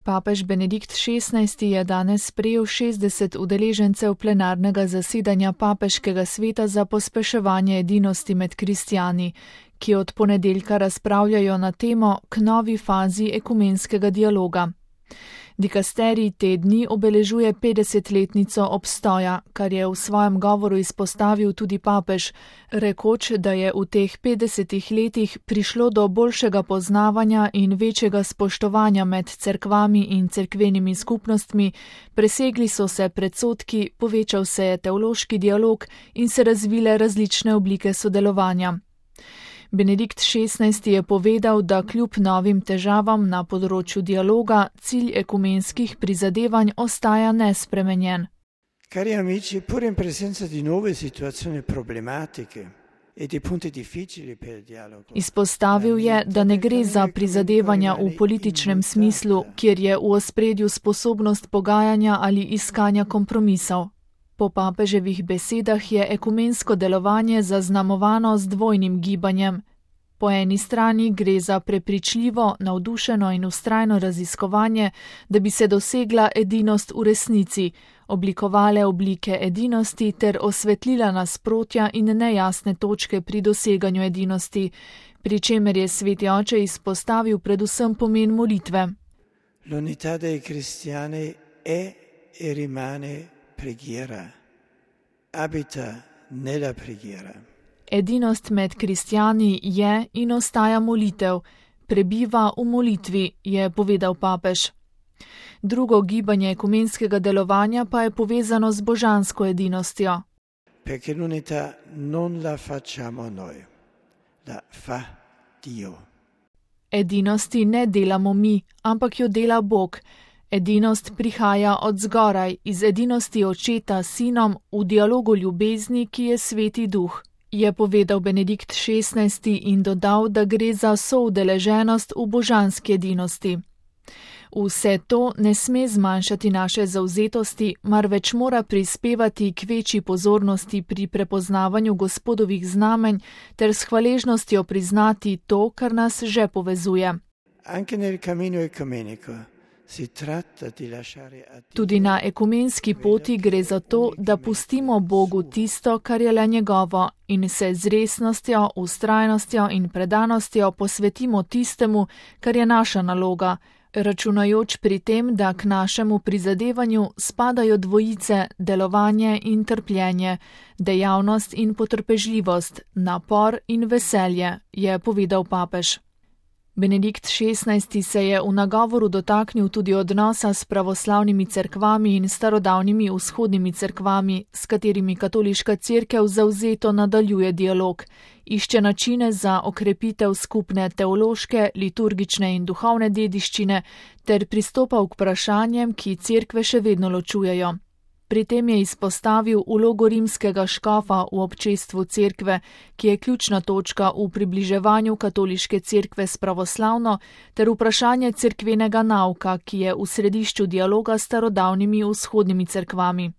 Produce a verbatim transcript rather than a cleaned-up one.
Papež Benedikt šestnajsti je danes sprejel šestdeset udeležencev plenarnega zasedanja Papeškega sveta za pospeševanje edinosti med kristjani, ki od ponedeljka razpravljajo na temo k novi fazi ekumenskega dialoga. Dikasterij te dni obeležuje petdesetletnico obstoja, kar je v svojem govoru izpostavil tudi papež, rekoč, da je v teh petdesetih letih prišlo do boljšega poznavanja in večjega spoštovanja med cerkvami in cerkvenimi skupnostmi, presegli so se predsodki, povečal se je teološki dialog in se razvile različne oblike sodelovanja. Benedikt šestnajsti je povedal, da kljub novim težavam na področju dialoga cilj ekumenskih prizadevanj ostaja nespremenjen. Cari amici, pur in presenza di nuove situazioni problematiche e di punti difficili per il dialogo. Izpostavil je, da ne gre za prizadevanja v političnem smislu, kjer je v ospredju sposobnost pogajanja ali iskanja kompromisov. Po papeževih besedah je ekumensko delovanje zaznamovano z dvojnim gibanjem. Po eni strani gre za prepričljivo, navdušeno in vztrajno raziskovanje, da bi se dosegla edinost v resnici, oblikovale oblike edinosti ter osvetlila nasprotja in nejasne točke pri doseganju edinosti, pri čemer je sveti oče izpostavil predvsem pomen molitve. L'unità dei cristiani è e rimane preghiera, abita nella preghiera. Edinost med kristjani je in ostaja molitev, prebiva v molitvi, je povedal papež. Drugo gibanje ekumenskega delovanja pa je povezano z božansko edinostjo. Perché l'unità non la facciamo noi, la fa Dio. Edinosti ne delamo mi, ampak jo dela Bog. Edinost prihaja od zgoraj, iz edinosti očeta s sinom v dialogu ljubezni, ki je sveti duh, je povedal Benedikt šestnajsti in dodal, da gre za soudeleženost v božanski edinosti. Vse to ne sme zmanjšati naše zavzetosti, marveč mora prispevati k večji pozornosti pri prepoznavanju Gospodovih znamenj ter s hvaležnostjo priznati to, kar nas že povezuje. Anche nel cammino ecumenico. Tudi na ekumenski poti gre za to, da pustimo Bogu tisto, kar je le njegovo, in se z resnostjo, vztrajnostjo in predanostjo posvetimo tistemu, kar je naša naloga, računajoč pri tem, da k našemu prizadevanju spadajo dvojice, delovanje in trpljenje, dejavnost in potrpežljivost, napor in veselje, je povedal papež. Benedikt šestnajsti se je v nagovoru dotaknil tudi odnosa s pravoslavnimi cerkvami in starodavnimi vzhodnimi cerkvami, s katerimi katoliška cerkev zavzeto nadaljuje dialog, išče načine za okrepitev skupne teološke, liturgične in duhovne dediščine ter pristopa k vprašanjem, ki cerkve še vedno ločujejo. Pri tem je izpostavil vlogo rimskega škofa v občestvu cerkve, ki je ključna točka v približevanju katoliške cerkve s pravoslavno, ter vprašanje cerkvenega nauka, ki je v središču dialoga s starodavnimi vzhodnimi cerkvami.